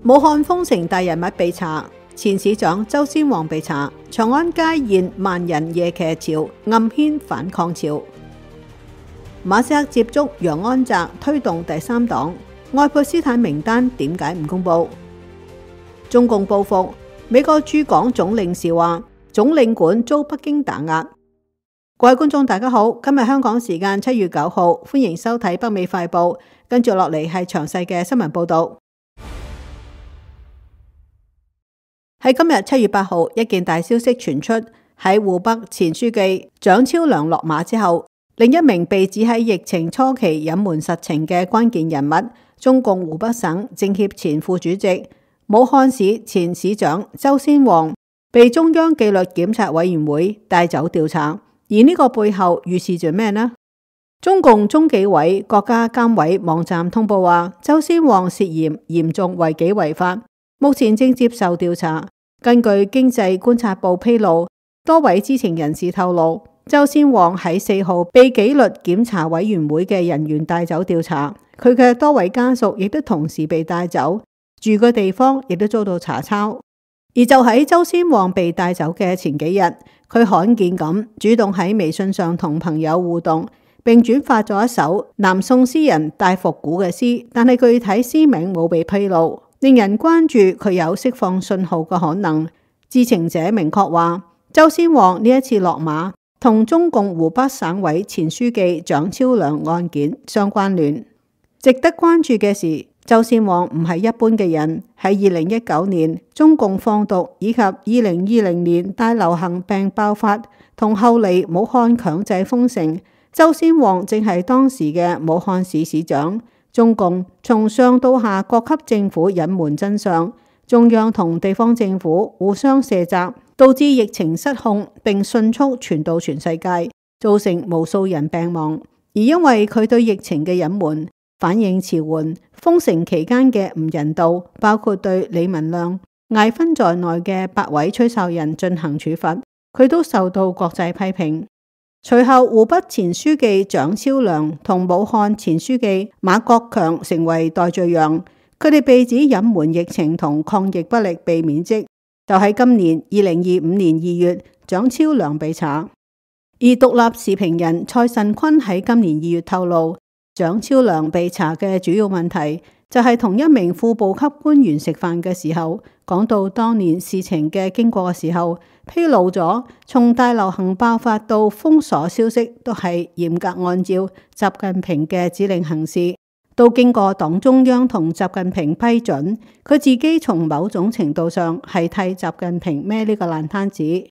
武漢封城大人物被查，前市長周先旺被查，長安街現萬人夜騎潮，暗牽反抗潮。馬斯克接觸楊安澤推動第三黨，愛潑斯坦名單點解唔公佈？中共報復，美國駐港總領事話總領館遭北京打壓。各位觀眾大家好，今日香港時間7月9號，歡迎收睇北美快報，跟住落嚟係詳細嘅新聞報導。喺今日7月8號，一件大消息傳出，喺湖北前書記蔣超良落馬之後，另一名被指喺疫情初期隱瞞實情嘅關鍵人物，中共湖北省政協前副主席、武漢市前市長周先旺，被中央紀律檢察委員會帶走調查。而呢個背後預示住咩呢？中共中紀委國家監委網站通報話，周先旺涉嫌嚴重違紀違法，目前正接受調查。根據經濟觀察報披露，多位知情人士透露，周先旺喺4號被紀律檢察委員會嘅人員帶走調查，佢嘅多位家屬亦都同時被帶走，住嘅地方亦都遭到查抄。而就喺周先旺被帶走嘅前幾日，佢罕見咁主動喺微信上同朋友互動，並轉發咗一首南宋詩人戴復古嘅詩，但係具體詩名冇被披露，令人關注佢有釋放信號嘅可能。知情者明確話，周先旺呢一次落馬同中共湖北省委前書記蔣超良案件相關聯。值得關注嘅是，周先旺唔係一般嘅人。喺2019年中共放毒以及2020年大流行病爆發同後嚟武漢強制封城，周先旺正係當時嘅武漢市市長。中共從上到下各級政府隱瞞真相，中央同地方政府互相卸責，導致疫情失控並迅速傳到全世界，造成無數人病亡。而因為佢對疫情嘅隱瞞、反應遲緩、封城期間嘅唔人道，包括對李文亮、艾勳在內嘅8位吹哨人進行處罰，佢都受到國際批評。隨後，湖北前書記蔣超良同武漢前書記馬國強成為代罪羊，佢哋被指隱瞞疫情同抗疫不力被免職。就喺今年2025年2月，蔣超良被查。而獨立時評人蔡慎坤喺今年2月透露，蔣超良被查嘅主要問題就係同一名副部級官員食飯嘅時候，講到當年事情嘅經過嘅時候，披露咗從大流行爆發到封鎖消息都係嚴格按照習近平嘅指令行事，都經過黨中央同習近平批准，佢自己從某種程度上係替習近平孭呢個爛攤子。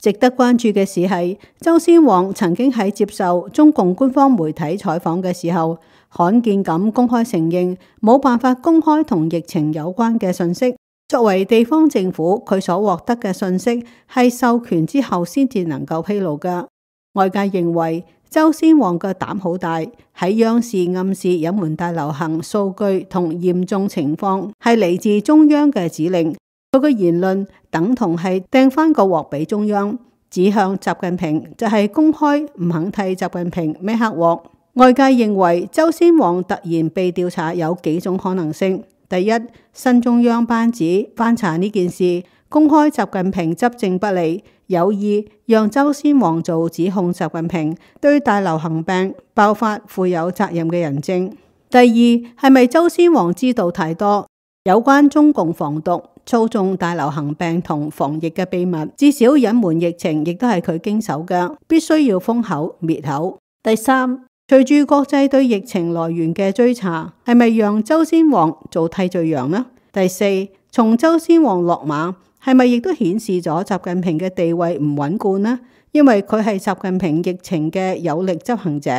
值得關注嘅事係，周先旺曾經喺接受中共官方媒體採訪嘅時候，罕見咁公開承認冇辦法公開同疫情有關嘅信息。作為地方政府，佢所獲得嘅信息係授權之後先至能夠披露㗎。外界認為周先旺嘅膽好大，喺央視暗示隱瞞大流行數據同嚴重情況係嚟自中央嘅指令。佢嘅言論等同係掟翻個鑊俾中央，指向習近平，就係公開唔肯替習近平孭黑鑊。外界認為周先旺突然被調查有幾種可能性。第一，新中央班子翻查呢件事，公開習近平執政不利，有意讓周先旺做指控習近平對大流行病爆發負有責任嘅人證。第二，係咪周先旺知道太多有關中共防毒、操縱大流行病同防疫嘅秘密，至少隱瞞疫情亦都係佢經手嘅，必須要封口滅口。第三，隨住國際對疫情來源嘅追查，係咪讓周先旺做替罪羊呢？第四，從周先旺落馬，係咪亦都顯示咗習近平嘅地位唔穩固呢？因為佢係習近平疫情嘅有力執行者，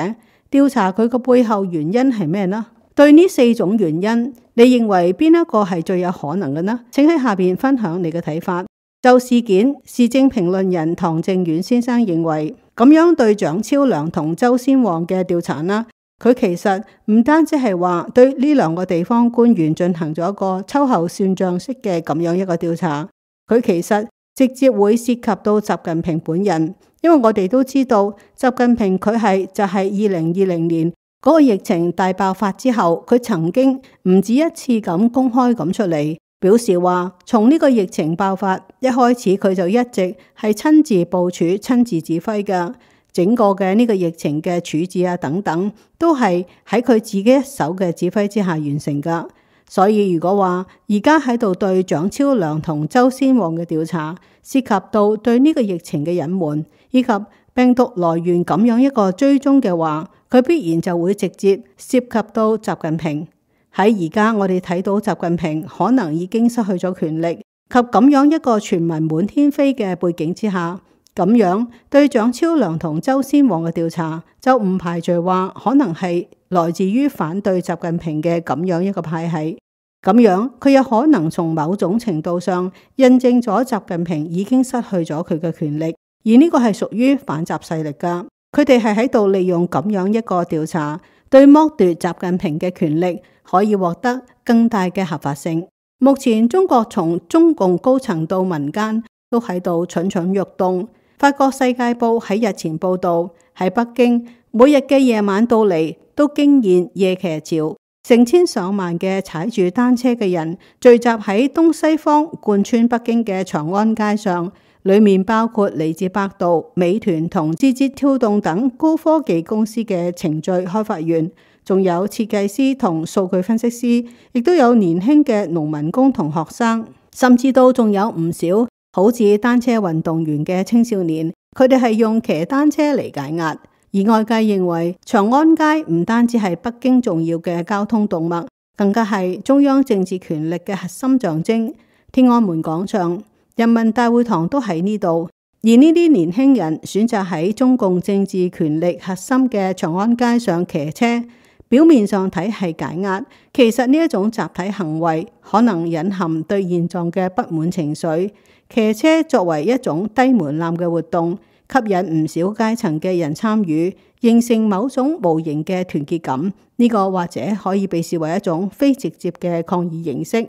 調查佢個背後原因係咩呢？對呢4種原因，你認為邊一個係最有可能嘅呢？請喺下邊分享你嘅睇法。就事件，時政評論人唐正遠先生認為，咁樣對蔣超良同周先旺嘅調查呢，佢其實唔單止係話對呢2個地方官員進行咗一個秋後算賬式嘅咁樣一個調查，佢其實直接會涉及到習近平本人，因為我哋都知道習近平佢就係2020年嗰個疫情大爆發之後，佢曾經唔止一次咁公開咁出嚟表示話，從呢個疫情爆發一開始，佢就一直係親自部署、親自指揮嘅，整個嘅呢個疫情嘅處置啊等等，都係喺佢自己一手嘅指揮之下完成噶。所以如果話而家喺度對蔣超良同周先旺嘅調查，涉及到對呢個疫情嘅隱瞞，以及病毒來源咁樣一個追蹤嘅話，佢必然就會直接涉及到習近平。喺而家我哋睇到習近平可能已經失去咗權力，及咁樣一個傳聞滿天飛嘅背景之下，咁樣對蔣超良同周先旺嘅調查，就唔排除話可能係來自於反對習近平嘅咁樣一個派系。咁樣佢有可能從某種程度上印證咗習近平已經失去咗佢嘅權力，而呢個係屬於反習勢力噶。佢哋係喺度利用咁樣一個調查，對剝奪習近平嘅權力可以獲得更大嘅合法性。目前中國從中共高層到民間都喺度蠢蠢欲動。法國世界報喺日前報道，喺北京每日嘅夜晚到嚟都驚現夜騎潮，成千上萬嘅踩住單車嘅人聚集喺東西方貫穿北京嘅長安街上，裏面包括嚟自百度、美團同字節跳動等高科技公司嘅程序開發員，仲有設計師同數據分析師，亦都有年輕嘅農民工同學生，甚至都仲有唔少好似單車運動員嘅青少年，佢哋係用騎單車嚟解壓。而外界認為長安街唔單止係北京重要嘅交通動脈，更加係中央政治權力嘅核心象徵。天安門廣場、人民大會堂都喺呢度，而呢啲年輕人選擇喺中共政治權力核心嘅長安街上騎車，表面上睇係解壓，其實呢一種集體行為可能隱含對現狀嘅不滿情緒。騎車作為一種低門檻嘅活動，吸引唔少階層嘅人參與，形成某種無形嘅團結感。呢個或者可以被視為一種非直接嘅抗議形式。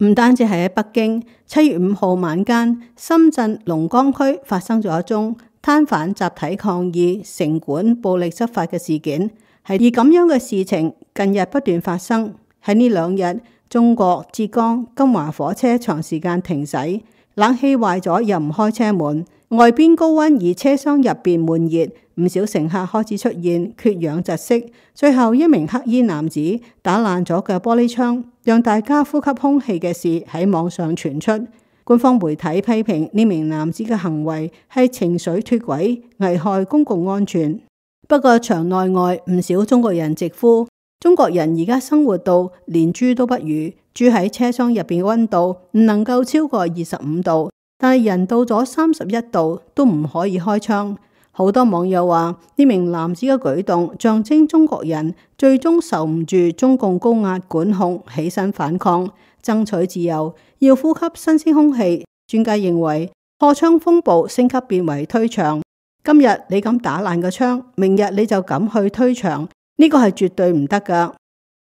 唔單止係喺北京，7月5號晚間，深圳龍崗區發生咗一宗攤販集體抗議城管暴力執法嘅事件。而咁樣嘅事情近日不斷發生。喺呢2日，中國浙江金華火車長時間停駛，冷氣壞咗又唔開車門，外邊高溫而車廂入邊悶熱，唔少乘客開始出現缺氧窒息。最後一名黑衣男子打爛咗嘅玻璃窗，讓大家呼吸空氣嘅事喺網上傳出。官方媒體批評呢名男子嘅行為係情緒脫軌，危害公共安全。不過場內外唔少中國人直呼，中國人而家生活到連豬都不如，住喺車廂入邊嘅溫度唔能夠超過25度，但係人到咗31度都唔可以開窗。好多網友話呢名男子嘅舉動象徵中國人最終受唔住中共高壓管控，起身反抗，爭取自由，要呼吸新鮮空氣。專家認為破窗風暴升級變為推牆。今日你敢打爛個窗，明日你就敢去推牆，呢個係絕對唔得噶。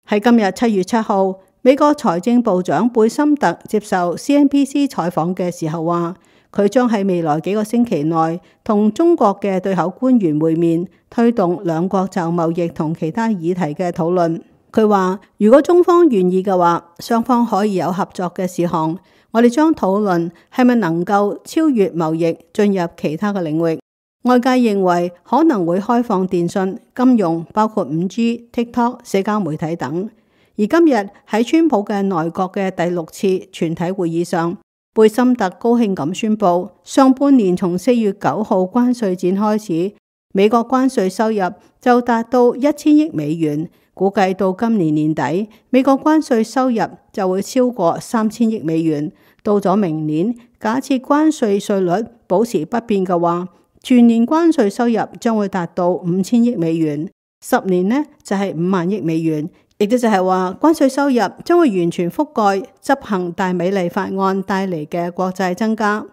喺今日7月7號，美國財政部長貝森特接受 CNBC 採訪嘅時候話，佢將喺未來幾個星期內同中國嘅對口官員會面，推動兩國就貿易同其他議題嘅討論。佢話如果中方願意嘅話，雙方可以有合作嘅事項，我哋將討論係咪能夠超越貿易，進入其他嘅領域。外界認為可能會開放電信、金融，包括5G、TikTok、社交媒體等。而今日喺川普嘅內閣嘅第6次全體會議上，貝森特高興咁宣布，上半年從4月9號關稅戰開始，美國關稅收入就達到1000億美元，估計到今年年底，美國關稅收入就會超過3000億美元。到咗明年，假設關稅稅率保持不變嘅話，全年關稅收入將會達到5000億美元，10年呢就係5萬億美元，亦都就係話關稅收入將會完全覆蓋執行大美麗法案帶嚟嘅國債增加。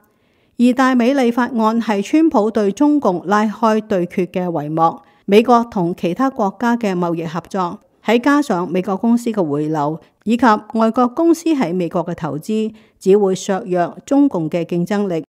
而大美麗法案係川普對中共拉開對決嘅帷幕，美國同其他國家嘅貿易合作，喺加上美國公司嘅回流，以及外國公司喺美國嘅投資，只會削弱中共嘅競爭力。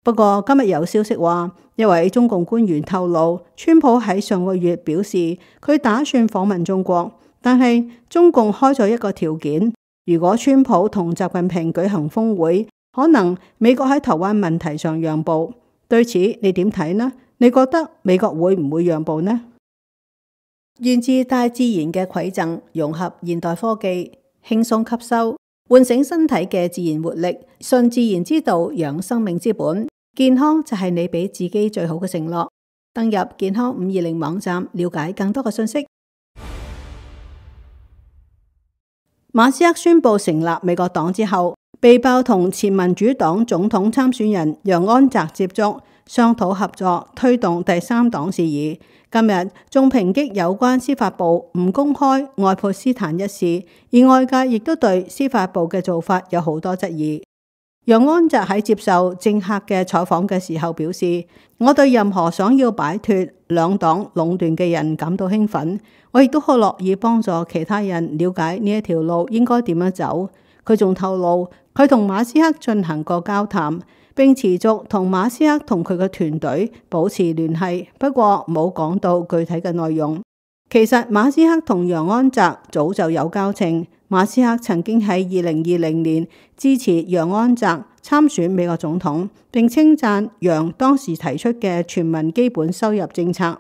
不過今日有消息話，一位中共官員透露，川普喺上個月表示佢打算訪問中國，但係中共開咗一個條件，如果川普同習近平舉行峰會，可能美國喺台灣問題上讓步。對此你點睇呢？你覺得美國會唔會讓步呢？源自大自然嘅饋贈，融合現代科技，輕鬆吸收，喚醒身體嘅自然活力，順自然之道，養生命之本。健康就係你俾自己最好嘅承諾。登入健康520網站，了解更多嘅信息。馬斯克宣布成立美國黨之後，被爆同前民主黨總統參選人楊安澤接觸，商討合作，推動第三黨事宜。今日仲抨擊有關司法部唔公開愛潑斯坦一事，而外界亦都對司法部嘅做法有好多質疑。楊安澤喺接受政客嘅採訪嘅時候表示，我對任何想要擺脫兩黨壟斷嘅人感到興奮，我亦都好樂意幫助其他人了解呢一條路應該點樣走。佢仲透露，佢同馬斯克進行過交談，並持續同馬斯克同佢嘅團隊保持聯繫，不過冇講到具體嘅內容。其實馬斯克同楊安澤早就有交情。馬斯克曾經喺2020年支持楊安澤參選美國總統，並稱讚楊當時提出嘅全民基本收入政策。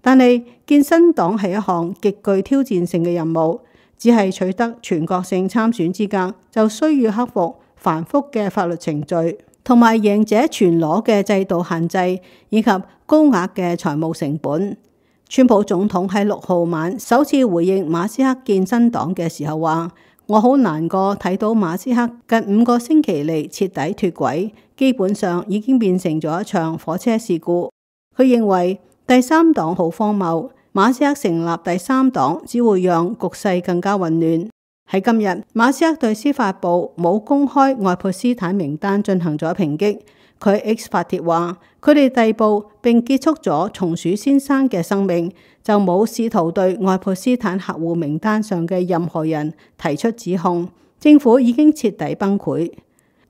但係建新黨係一項極具挑戰性嘅任務，只係取得全國性參選資格，就需要克服繁複嘅法律程序，同埋贏者全攞嘅制度限制，以及高額嘅財務成本。川普總統喺6號晚首次回應馬斯克建新黨嘅時候話：我好難過睇到馬斯克近5個星期嚟徹底脫軌，基本上已經變成咗一場火車事故。佢認為第三黨好荒謬，馬斯克成立第三黨只會讓局勢更加混亂。喺今日，馬斯克對司法部冇公開愛潑斯坦名單進行咗抨擊。佢 X 發帖話，佢哋逮捕並結束咗松鼠先生嘅生命，就冇試圖對愛潑斯坦客戶名單上嘅任何人提出指控。政府已經徹底崩潰。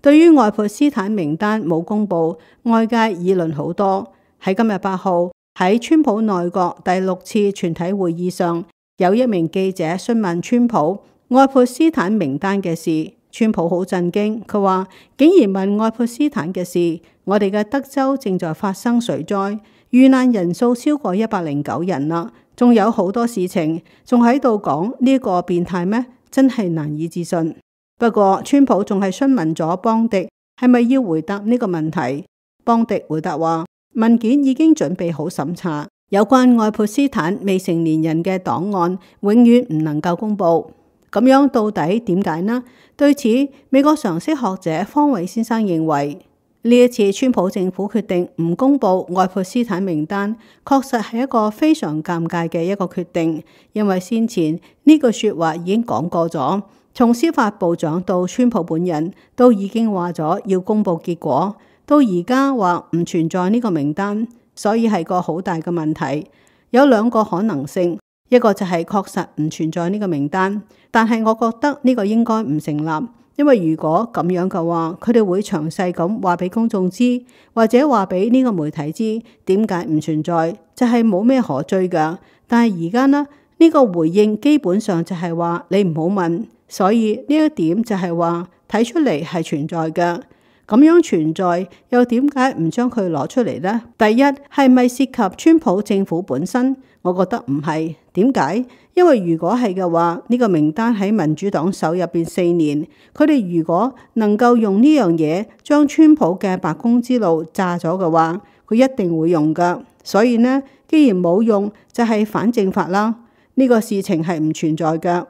對於愛潑斯坦名單冇公布，外界議論好多。喺今日8號，喺川普內閣第6次全體會議上，有一名記者詢問川普愛潑斯坦名單嘅事。川普好震驚，佢話竟然問愛潑斯坦嘅事。我哋嘅德州正在發生水災，遇難人數超過109人啦，仲有好多事情，仲喺度講呢個變態咩？真係難以置信。不過川普仲係詢問咗邦迪係咪要回答呢個問題。邦迪回答話，文件已經準備好審查，有關愛潑斯坦未成年人嘅檔案永遠唔能夠公布。咁樣到底點解呢？對此，美國常識學者方偉先生認為，呢一次川普政府決定唔公布愛潑斯坦名單，確實係一個非常尷尬嘅一個決定，因為先前呢句說話已經講過咗，從司法部長到川普本人都已經話咗要公布結果，到而家話唔存在呢個名單，所以係個好大嘅問題。有2個可能性。一個就係確實唔存在呢個名單，但係我覺得呢個應該唔成立，因為如果咁樣嘅話，佢哋會詳細咁話俾公眾知，或者話俾呢個媒體知點解唔存在，就係冇咩可追㗎。但係而家呢個回應基本上就係話你唔好問，所以呢一點就係話睇出嚟係存在嘅。咁樣存在又點解唔將佢攞出嚟呢？第一，係咪涉及川普政府本身？我覺得唔係。點解？因為如果係嘅話，呢個名單喺民主黨手入邊4年，佢哋如果能夠用呢樣嘢將川普嘅白宮之路炸咗嘅話，佢一定會用噶。所以呢，既然冇用，就係反證法啦。呢個事情係唔存在嘅。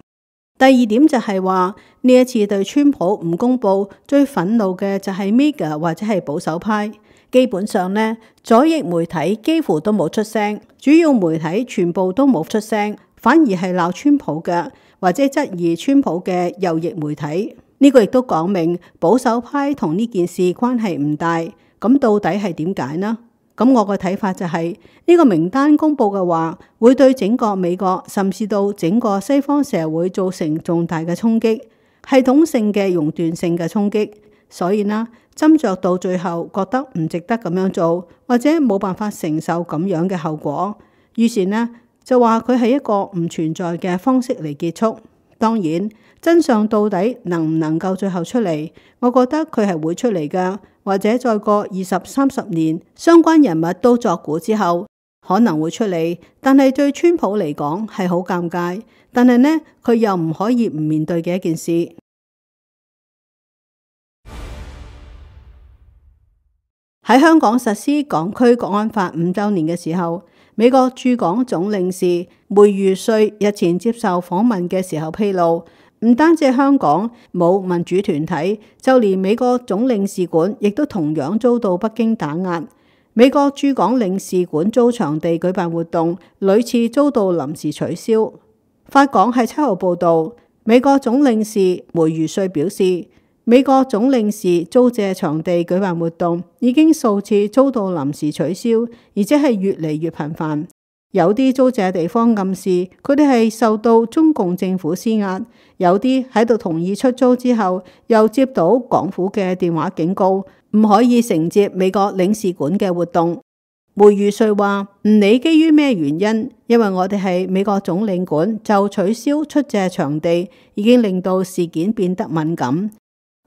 第二點就係話，呢一次對川普唔公布，最憤怒嘅就係 MAGA 或者係保守派。基本上呢，左翼媒體幾乎都冇出聲，主要媒體全部都冇出聲，反而係鬧川普嘅，或者質疑川普嘅右翼媒體。呢個亦都講明保守派同呢件事關係唔大。咁到底係點解呢？咁我個睇法就係，呢個名單公布嘅話，會對整個美國甚至到整個西方社會造成重大嘅衝擊，系統性嘅熔斷性嘅衝擊。所以呢，斟酌到最後覺得唔值得咁樣做，或者冇辦法承受咁樣嘅後果，於是呢就話佢係一個唔存在嘅方式嚟結束。當然，真相到底能唔能夠最後出嚟，我覺得佢係會出嚟㗎，或者再過20-30年，相關人物都作古之後，可能會出嚟。但係對川普嚟講係好尷尬，但係呢佢又唔可以唔面對嘅一件事。喺香港實施港區國安法5週年嘅時候，美國駐港總領事梅如瑞日前接受訪問嘅時候披露，唔單止香港冇民主團體，就連美國總領事館亦都同樣遭到北京打壓。美國駐港領事館租場地舉辦活動，屢次遭到臨時取消。法港喺7號報導，美國總領事梅如瑞表示，美國總領事租借場地舉辦活動已經數次遭到臨時取消，而且係越嚟越頻繁。有啲租借地方暗示佢哋係受到中共政府施壓，有啲喺度同意出租之後，又接到港府嘅電話警告，唔可以承接美國領事館嘅活動。梅如瑞話唔理基於咩原因，因為我哋係美國總領館，就取消出借場地，已經令到事件變得敏感。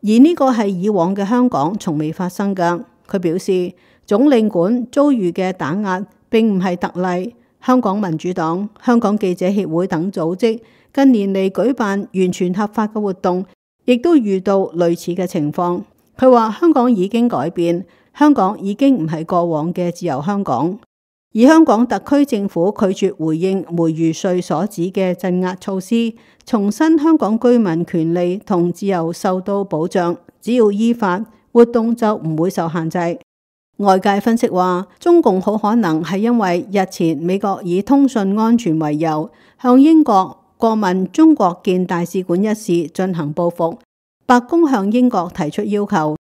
而呢個係以往嘅香港從未發生㗎。佢表示，總領館遭遇嘅打壓並唔係特例。香港民主黨、香港記者協會等組織近年嚟舉辦完全合法嘅活動，亦都遇到類似嘅情況。佢話香港已經改變，香港已經唔係過往嘅自由香港。而香港特區政府拒絕回應梅如瑞所指嘅鎮壓措施，重申香港居民權利同自由受到保障，只要依法，活動就唔會受限制。外界分析話，中共好可能係因為日前美國以通訊安全為由，向英國過問中國建大使館一事進行報復。白宮向英國提出要求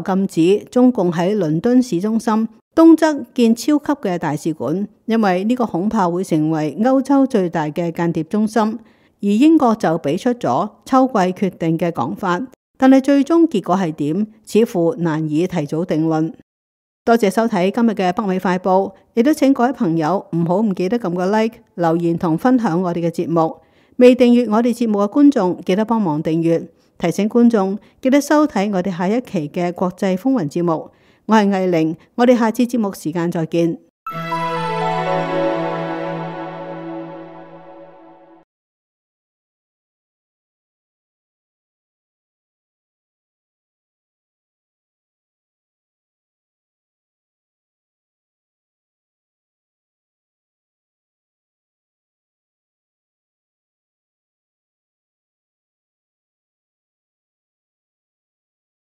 禁止中共喺倫敦市中心東側建超級嘅大使館，因為呢個恐怕會成為歐洲最大嘅間諜中心。而英國就俾出咗秋季決定嘅講法，但係最終結果係點，似乎難以提早定論。多謝收睇今日嘅北美快報，亦都請各位朋友唔記得撳個 like、留言同分享我哋嘅節目。未訂閱我哋節目嘅觀眾，記得幫忙訂閱。提醒觀眾記得收睇我哋下一期嘅國際風雲節目。我係藝玲，我哋下次節目時間再見。